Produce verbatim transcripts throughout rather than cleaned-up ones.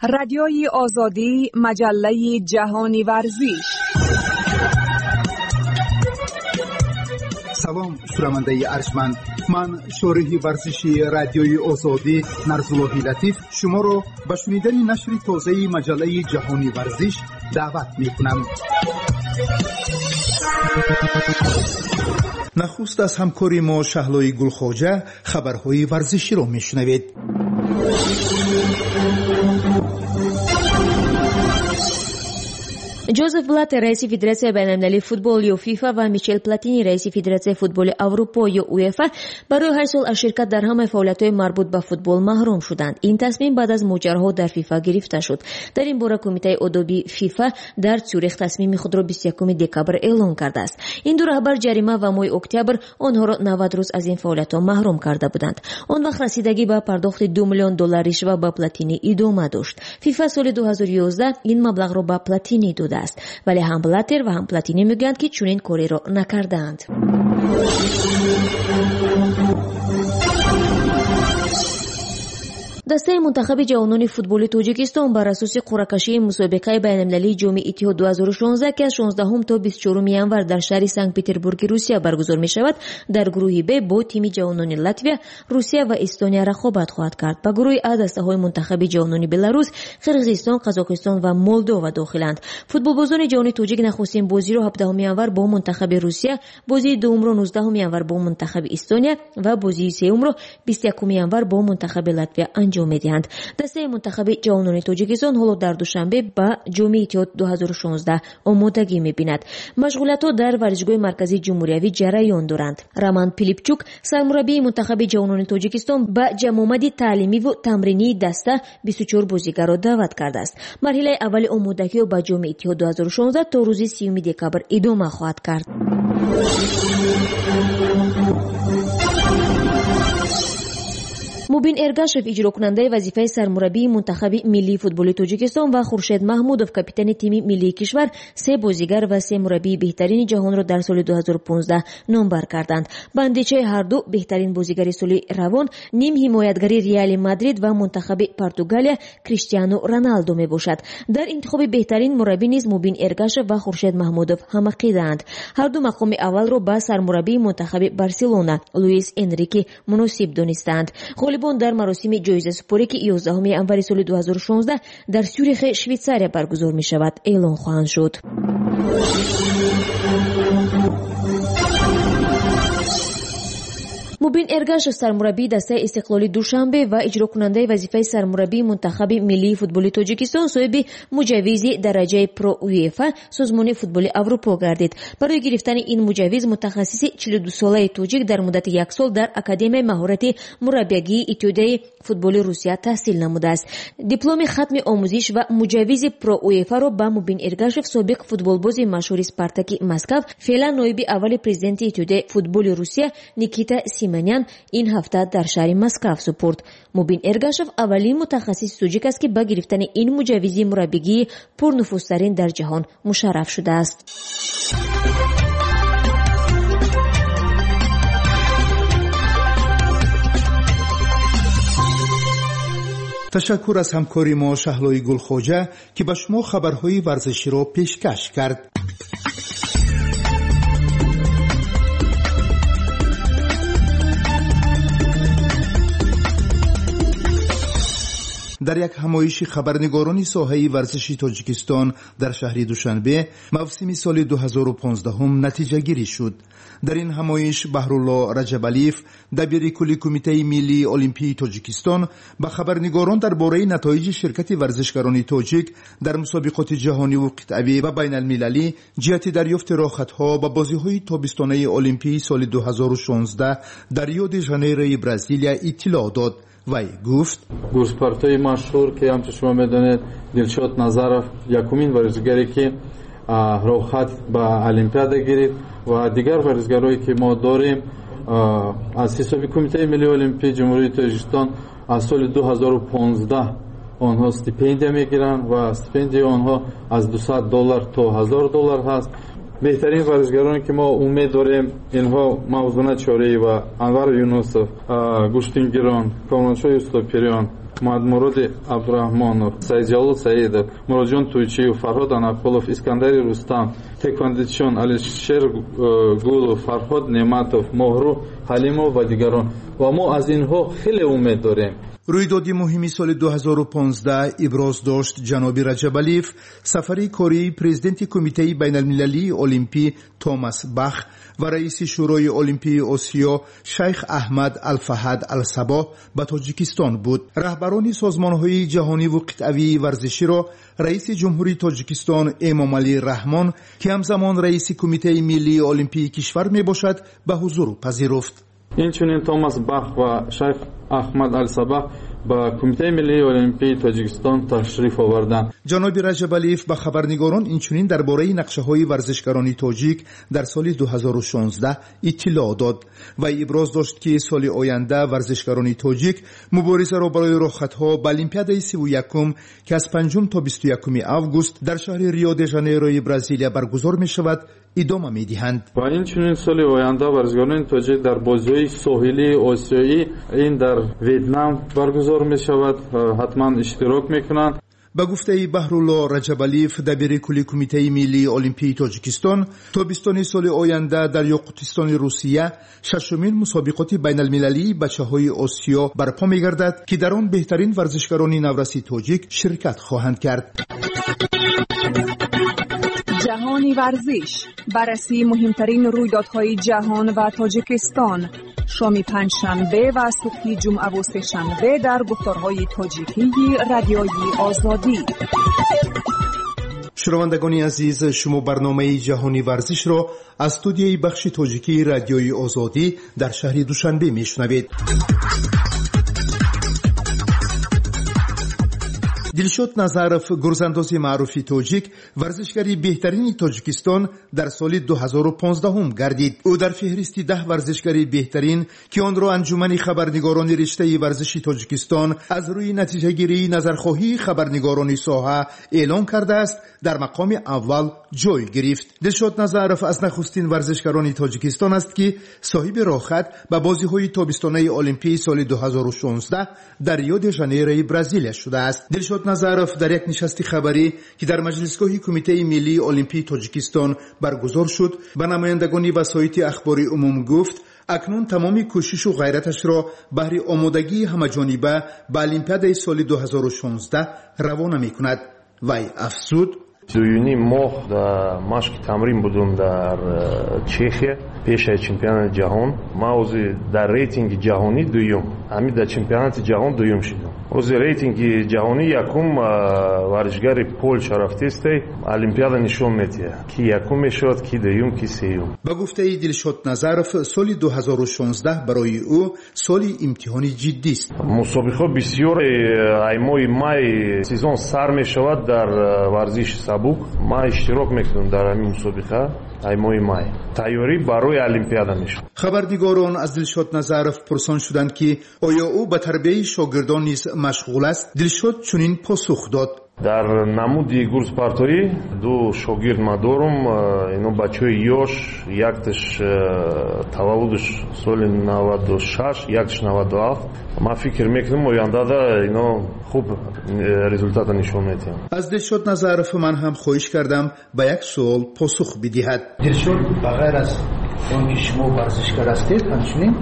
Радиои Озодӣ, маҷаллаи ҷаҳони варзиш. Салом, шунавандаи арҷманд. Ман шориҳи варзиши Радиои Озодӣ Нарзуллоҳи Латиф шуморо ба шунидани нашри тозаи маҷаллаи ҷаҳони варзиш даъват мекунам. Нахуст аз ҳамкори мо Шаҳлои Гулхоҷа хабарҳои варзиширо мешунавед. Ҷозеф Блаттер, раиси Федератсияи байналмилалии футбол ё ФИФА, ва Мишел Платини, раиси Федератсияи футболи Аврупо ё УЕФА, барои ҳашт сол аз ширкат дар ҳамаи фаъолиятҳои марбут ба футбол маҳрум шуданд. Ин тасмим баъд аз моҷароҳо дар ФИФА гирифта шуд. Дар ин бора Кумитаи одоби ФИФА дар Цюрих тасмими худро бисту якуми декабр эълон кардааст. Ин ду раҳбар ҷарима ва моҳи октябр онҳоро навад рӯз аз ин фаъолиятҳо маҳрум карда буданд. Он вақт расидагӣ ба пардохти ду миллион доллар ришва ба Платини идома дошт. ФИФА соли ду ҳазору ёздаҳ ин маблағро ба Платини додааст, вале ҳам Блаттер ва ҳам Платини мегӯянд, ки чунин кореро накардаанд. Дастаи мунтахаби ҷавонони футболи Тоҷикистон бар асоси қуръакашии мусобиқаи байналмилалии ҷоми Иттиҳод ду ҳазору шонздаҳ, ки аз шонздаҳум то бисту чоруми январ дар шаҳри Санкт-Петербурги Русия баргузор мешавад, дар гурӯҳи Б бо тими ҷавонони Латвия, Русия ва Эстония рақобат хоҳад кард. Ба гурӯҳи А дастаҳои мунтахаби ҷавонони Беларус, Қирғизистон, Қазоқистон ва Молдова дохиланд. Футболбозони ҷавони тоҷик нахустин бозиро ҳабдаҳуми январ бо мунтахаби Русия, бозии дуюмро нуздаҳуми январ бо мунтахаби Эстония ва бозии сеюмро бисту якуми январ бо мунтахаби Латвия анҷом медиҳанд. Дастаи мунтахаби ҷавонони Тоҷикистон ҳоло дар Душанбе ба ҷоми Иттиҳод ду ҳазору шонздаҳ омодагӣ мебинад. Машғулиятҳо дар варзишгоҳи марказии ҷумҳуриявӣ ҷараён доранд. Роман Пилипчук, сармураббии мунтахаби ҷавонони Тоҷикистон, ба ҷамъомади таълимиву тамринии даста бисту чор бозигарро даъват кардааст. Марҳилаи аввали омодагиҳо ба ҷоми Иттиҳод ду ҳазору шонздаҳ то рӯзи сиюми декабр идома хоҳад кард. Мубин Эргашев, иҷрокунандаи вазифаи сармураббии мунтахаби миллии футболи Тоҷикистон, ва Хуршед Маҳмудов, капитани тими миллии кишвар, се бозигар ва се мураббии беҳтарини ҷаҳонро дар соли ду ҳазору понздаҳ номбар карданд. Ба андешаи ҳарду беҳтарин бозигари соли равон ним ҳимоятгари Реали Мадрид ва мунтахаби Португалия Криштиану Роналдо мебошад. Дар интихоби беҳтарин мураббӣ низ Мубин Эргашев ва Хуршед Маҳмудов ҳамақидаанд. Ҳарду мақоми аввалро ба сармураббии мунтахаби Барселона Луис Энрике муносиб донистаанд. Ғолибон дар маросими ҷоизасупорӣ, ки ёздаҳуми январи соли ду ҳазору шонздаҳ дар Сюрихи Швейтсария баргузор мешавад, эълон хоҳанд шуд. Мубин Эргашев, сармураббии дастаи Истиқлоли Душанбе ва иҷрокунандаи вазифаи сармураббии мунтахаби миллии футболи Тоҷикистон, соҳиби муҷаввизи дараҷаи Про УЕФА, созмони футболи Аврупо гардид. Барои гирифтани ин муҷаввиз мутахассиси чилу дусолаи тоҷик дар муддати як сол дар Академияи маҳорати мураббиягии Иттиҳодияи футболи Русия таҳсил намудааст. Дипломи хатми омӯзиш ва муҷаввизи Про УЕФА-ро ба Мубин Эргашев, собиқ футболбози машҳури Спартаки Москав, феълан ноиби аввали президенти Иттиҳодияи футболи Русия Никита Симонян ин ҳафта дар шаҳри Москав супурд. Мубин Эргашев аввалин мутахассиси тоҷик аст, ки ба гирифтани ин муҷаввизи мураббигии пурнуфузтарин дар ҷаҳон мушарраф шудааст. Ташаккур аз ҳамкори мо Шаҳлои Гулхоҷа, ки ба шумо хабарҳои варзиширо пешкаш кард. Дар як ҳамоиши хабарнигорони соҳаи варзиши Тоҷикистон дар шаҳри Душанбе мавсими соли ду ҳазору понздаҳум натиҷагирӣ шуд. Дар ин ҳамоиш Баҳрулло Раҷабалиев, дабири кулли Кумитаи миллии Олимпии Тоҷикистон, ба хабарнигорон дар бораи натоиҷи ширкати варзишгарони тоҷик дар мусобиқоти ҷаҳониву қитъавӣ ва байналмилалӣ ҷиҳати дарёфти роҳхатҳо ба бозиҳои тобистонаи Олимпии соли ду ҳазору шонздаҳ дар Рио-де-Жанейрои Бразилия иттилоъ дод. Вай гуфт: гурспортҳои машҳур, ки ҳамчун шумо медонед, Дилшод Назаров якумин варзишгаре, ки роҳхат ба Олимпиада гирифт, ва дигар варзишгарое, ки мо дорем аз ҳисоби Кумитаи миллии Олимпии Ҷумҳурии Тоҷикистон аз соли ду ҳазору понздаҳ онҳо стипендия мегиранд ва стипендияи онҳо аз дусад доллар то ҳазор доллар ҳаст. Беҳтарин варзишгароне, ки мо умед дорем, инҳо Мавзуна Чориева, Анвар Юнусов, гӯштингирон, Комроншоҳ Юсуфпириён, Муҳаммадмуроди Абдураҳмонов, Саидҷалол Саидов, Муроджон Туйчиев, Фарҳод Анақулов, Искандари Рустам, тэквондочиён Алишер Гулов, Фарҳод Неъматов, Моҳрӯ Ҳалимов ва дигарон. Ва мо аз инҳо хеле умед дорем. Рӯйдоди муҳими соли ду ҳазору понздаҳ иброз дошт ҷаноби Раҷабалиев сафари кории президенти Кумитаи байналмилалии олимпӣ Томас Бах ва раиси Шӯрои Олимпии Осиё Шайх Аҳмад Алфаҳад Алсабоҳ ба Тоҷикистон буд. Раҳбарони созмонҳои ҷаҳониву қитъавии варзиширо раиси Ҷумҳурии Тоҷикистон Эмомалӣ Раҳмон, ки ҳамзамон раиси Кумитаи миллии олимпии кишвар мебошад, ба ҳузур пазируфт. Инчунин Томас Бах ва Шайх Аҳмад Алсабаҳ ба Кумитаи миллии олимпии Тоҷикистон ташриф оварданд. Ҷаноби Раҷабалиев ба хабарнигорон инчунин дар бораи нақшаҳои варзишгарони тоҷик дар соли ду ҳазору шонздаҳ иттилоъ дод ва иброз дошт, ки соли оянда варзишгарони тоҷик муборизаро барои роҳхатҳо ба Олимпиадаи сиву якум, ки аз панҷум то бисту якуми август дар шаҳри Рио де Жанейрои Бразилия баргузор мешавад, идома медиҳанд. Ва инчунин соли оянда варзишгарони тоҷик дар бозиҳои соҳилии осиёӣ ин дар Вьетнам баргузор мешавад, ҳатман иштирок мекунанд. Ба гуфтаи Баҳрулло Раҷабалиев, дабири кулли Кумитаи миллии олимпии Тоҷикистон, тобистони соли оянда дар Ёқутистони Русия шашумин мусобиқоти байналмилалии бачаҳои Осиё барпо мегардад, ки дар он беҳтарин варзишгарони навраси тоҷик ширкат хоҳанд кард. Ҷаҳони варзиш, баррасии муҳимтарин рӯйдодҳои ҷаҳон ва Тоҷикистон. Шоми панҷшанбе ва субҳи ҷумъаву сешанбе дар гуфторҳои тоҷикии Радиои Озодӣ. Шунавандагони азиз, шумо барномаи ҷаҳони варзишро аз студияи бахши тоҷикии Радиои Озодӣ дар шаҳри Душанбе мешунавед. Дилшод Назаров, гурзандози маъруфи тоҷик, варзишгари беҳтарини Тоҷикистон дар соли ду ҳазору понздаҳум гардид. Ӯ дар феҳристи даҳ варзишгари беҳтарин, ки онро Анҷумани хабарнигорони риштаи варзиши Тоҷикистон аз рӯи натиҷагирии назархоҳии хабарнигорони соҳа эълон кардааст, дар мақоми аввал ҷой гирифт. Дилшод Назаров аз нахустин варзишгарони Тоҷикистон аст, ки соҳиби роҳхат ба бозиҳои тобистонаи олимпии соли ду ҳазору шонздаҳ дар Рио де Жанейрои Бразилия шудааст. Дилшод Назаров дар як нишасти хабарӣ, ки дар маҷлисгоҳи Кумитаи миллии олимпии Тоҷикистон баргузор шуд, ба намояндагони васоити ахбори умум гуфт, акнун тамоми кӯшишу ғайраташро баҳри омодагии ҳамаҷониба ба Олимпиадаи соли ду ҳазору шонздаҳ равона мекунад. Вай афзуд: дуюним моҳ дар машқи тамрин будум дар Чехия пешаи чемпионати ҷаҳон. Ман ҳозир дар рейтинги ҷаҳонӣ дуюм, ҳамин дар чемпионати ҷаҳон дуюм шудам. Ҳозир рейтинги ҷаҳонӣ якум варзишгари Полша рафтестай, олимпиада нишон медиҳад, ки якум мешавад, ки дуюм, ки сеюм. Ба гуфтаи Дилшод Назаров, соли ду ҳазору шонздаҳ барои ӯ соли имтиҳони ҷиддист. Мусобиқаҳо бисёр, ай моҳи май сезон сар мешавад дар варзиши сабук. Ман иштирок мекунам дар ҳамин мусобиқа ай моҳи май. Тайёрӣ барои олимпиада мешавад. Хабарнигорон аз Дилшод Назаров пурсон шуданд, ки оё ӯ ба тарбияи шогирдон низ машғул аст. Дилшод чунин посух дод: Дар намуди гурзпартоӣ ду шогирд ма дорум, ино бачаҳои ёш, якташ таваллудаш соли наваду шаш, якташ наваду ҳафт. Ман фикр мекунам ояндада ино хуб результата нишон медиҳанд. Аз Дилшод Назаров ман ҳам хоҳиш кардам ба як суол посух бидиҳад. Дилшод, ба ғайр аз он ки шумо варзишгар ҳастед, ҳамчунин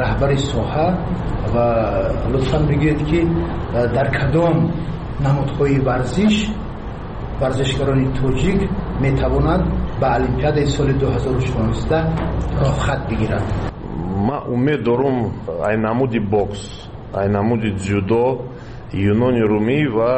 раҳбари соҳа, ва лутфан бигӯед, ки дар кадом намудҳои варзиш варзишгарони тоҷик метавонанд ба Олимпиадаи соли ду ҳазору шонздаҳ роҳхат бигиранд? Ман умед дорум ай намуди бокс, ай намуди дзюдо, юнони румӣ ва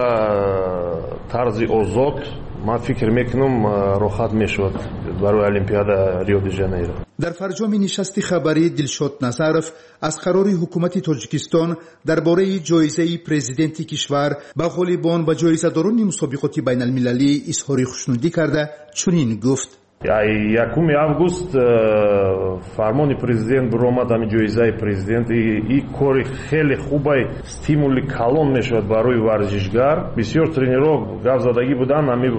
тарзи озод. Ман фикр мекунам роҳхат мешавад барои Олимпиада Рио де Жанейро. Дар фарҷоми нишасти хабарӣ Дилшод Назаров аз қарори ҳукумати Тоҷикистон дар бораи ҷоизаи президенти кишвар ба ғолибон ва ҷоизадорони мусобиқоти байналмилалӣ изҳори хушнудӣ карда чунин гуфт: якуми август фармони президент баромад, ҳамин ҷоизаи президент. И кори хеле хубай, стимули калон мешавад барои варзишгар. Бисёр тренерҳо гап задагӣ буданд, ҳамин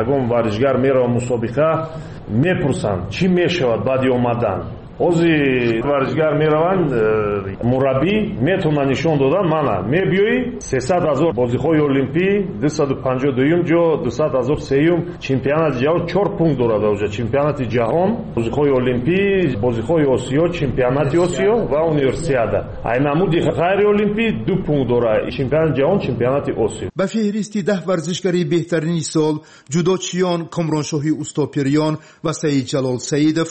ягон варзишгар мерава мусобиқа, мепурсанд чӣ мешавад баъди омадан. Ҳозир варзишгар мераванд, мураббӣ метавонад нишон додан мана мебиёӣ сесад ҳазор бозиҳои олимпӣ, дусаду панҷоҳу дуюм ҷо, дусад ҳазор сеюм, чемпионати ҷаҳон чор пункт дорад оҷа, чемпионати ҷаҳон, бозиҳои олимпӣ, бозиҳои Осиё, чемпионати Осиё ва универсиада. Ай намуди ғайриолимпӣ ду пункт дорад, чемпионати ҷаҳон, чемпионати Осиё. Ба феҳристи даҳ варзишгари беҳтарини сол ҷудочиён Комроншоҳи Устопириён ва Саидҷалол Саидов,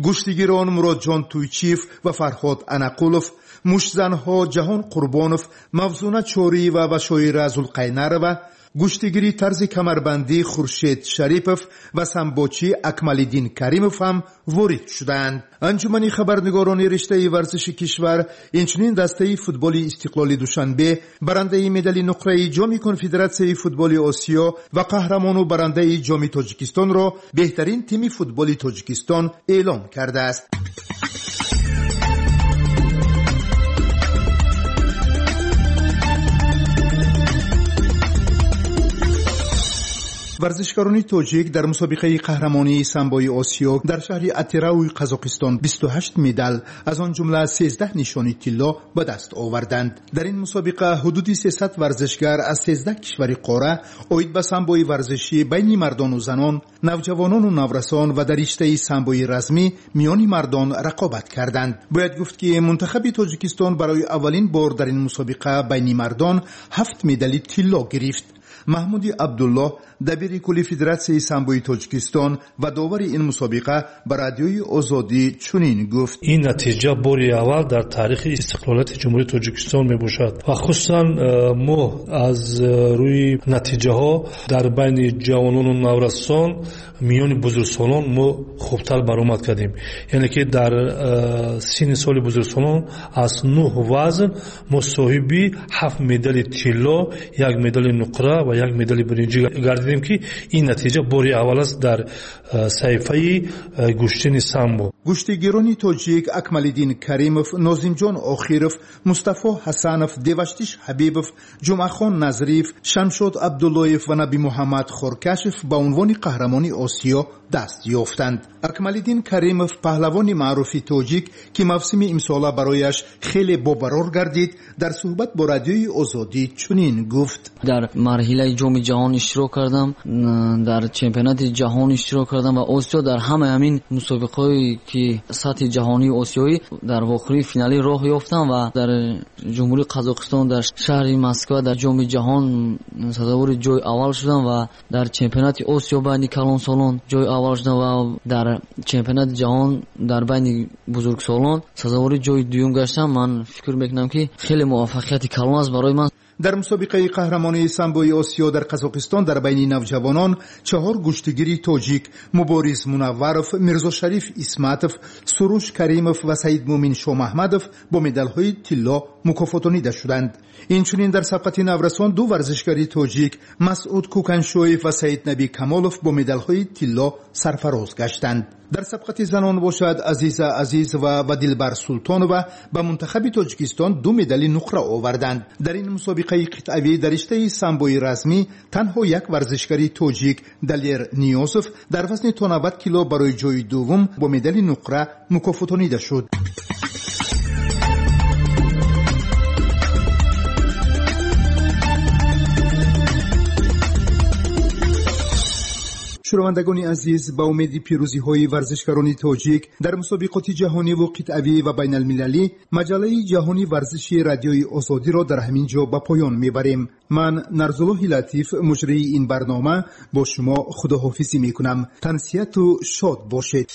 гӯштигирон Муродҷон Туйчиев ва Фарҳод Анақулов, муштзанҳо Ҷаҳон Қурбонов, Мавзуна Чориева ва Шоира Зулқайнарова, гӯштигири тарзи камарбандӣ Хуршед Шарипов ва самбочӣ Акмалиддин Каримов ҳам ворид шудаанд. Анҷумани хабарнигорони риштаи варзиши кишвар инчунин дастаи футболи Истиқлоли Душанбе, барандаи медали нуқраи Ҷоми Конфедератсияи футболи Осиё ва қаҳрамону барандаи Ҷоми Тоҷикистонро беҳтарин тими футболи Тоҷикистон эълон кардааст. Варзишгарони тоҷик дар мусобиқаи қаҳрамонии самбои Осиё дар шаҳри Атирауи Қазоқистон бисту ҳашт медал, аз он ҷумла сездаҳ нишони тилло ба даст оварданд. Дар ин мусобиқа ҳудуди сесад варзишгар аз сездаҳ кишвари қора оид ба самбои варзишӣ байни мардону занон, навҷавонону наврасон ва дар риштаи самбои размӣ миёни мардон рақобат карданд. Бояд гуфт, ки мунтахаби Тоҷикистон барои аввалин бор дар ин мусобиқа байни мардон ҳафт медали тилло гирифт. Маҳмуди Абдуллоҳ, дабири кулли Федератсияи самбои Тоҷикистон ва довари ин мусобиқа ба Радиои Озодӣ чунин гуфт: ин натиҷа бори аввал дар таърихи истиқлолияти Ҷумҳурии Тоҷикистон мебошад ва хусусан мо аз рӯи натиҷаҳо дар байни ҷавонону наврасон миёни бузургсолон мо хубтар баромад кардем. Яъне ки дар синни соли бузургсолон аз нӯҳ вазн мо соҳиби ҳафт медали тилло, як медали нуқра ва як медали биринҷӣ гардидем, ки ин натиҷа бори аввал аст дар саҳифаи гӯштини самбо. Гӯштигирони тоҷик Акмалиддин Каримов, Нозимҷон Охиров, Мустафо Ҳасанов, Деваштиш Ҳабибов, Ҷумъахон Назриев, Шамшод Абдуллоев ва Набимуҳаммад Хоркашев ба унвони қаҳрамони Осиё даст ёфтанд. Акмалиддин Каримов, паҳлавони маъруфи тоҷик, ки мавсими имсола барояш хеле бобарор гардид, дар суҳбат бо Радиои Озодӣ чунин гуфт: дар марҳилаи Ҷоми ҷаҳон иштирок кардам, дар чемпионати ҷаҳон иштирок кардам ва Осиё. Дар ҳамаи ҳамин мусобиқаҳое ки сатҳи ҷаҳонии осиёӣ дар вохӯрии финалӣ роҳ ёфтам ва дар Ҷумҳурии Қазоқистон дар шаҳри Москва дар Ҷоми ҷаҳон сазовори ҷои аввал шудам ва дар чемпионати Осиё байни калонсолон ҷои аввал шудам ва дар чемпионати ҷаҳон дар байни бузургсолон сазовори ҷои дуюм гаштам. Ман фикр мекунам, ки хеле муваффақияти калон аст барои ман. Дар мусобиқаи қаҳрамонии самбои Осиё дар Қазоқистон дар байни навҷавонон чаҳор гӯштигири тоҷик Мубориз Мунавваров, Мирзошариф Исматов, Суруш Каримов ва Саидмумин Шомаҳмадов бо медалҳои тилло мукофотонида шуданд. Инчунин дар сабқати наврасон ду варзишгари тоҷик Масъуд Кӯканшоев ва Саиднаби Камолов бо медалҳои тилло сарфароз гаштанд. Дар сабқати занон бошад Азиза Азизова ва Дилбар Султонова ба мунтахаби Тоҷикистон ду медали нуқра оварданд. Дар ин мусобиқаи қитъавӣ дар риштаи самбои размӣ танҳо як варзишгари тоҷик Далер Ниёзов дар вазни то навад кило барои ҷои дуввум бо медали нуқра мукофотонида шуд. Шунавандагони азиз, ба умеди пирӯзиҳои варзишгарони тоҷик дар мусобиқоти ҷаҳониву қитъавӣ ва байналмилалӣ, маҷаллаи ҷаҳони варзиши Радиои Озодиро дар ҳамин ҷо ба поён мебарем. Ман Нарзуллоҳи Латиф, муҷрии ин барнома, бо шумо худоҳофизӣ мекунам. Тансиҳату шод бошед.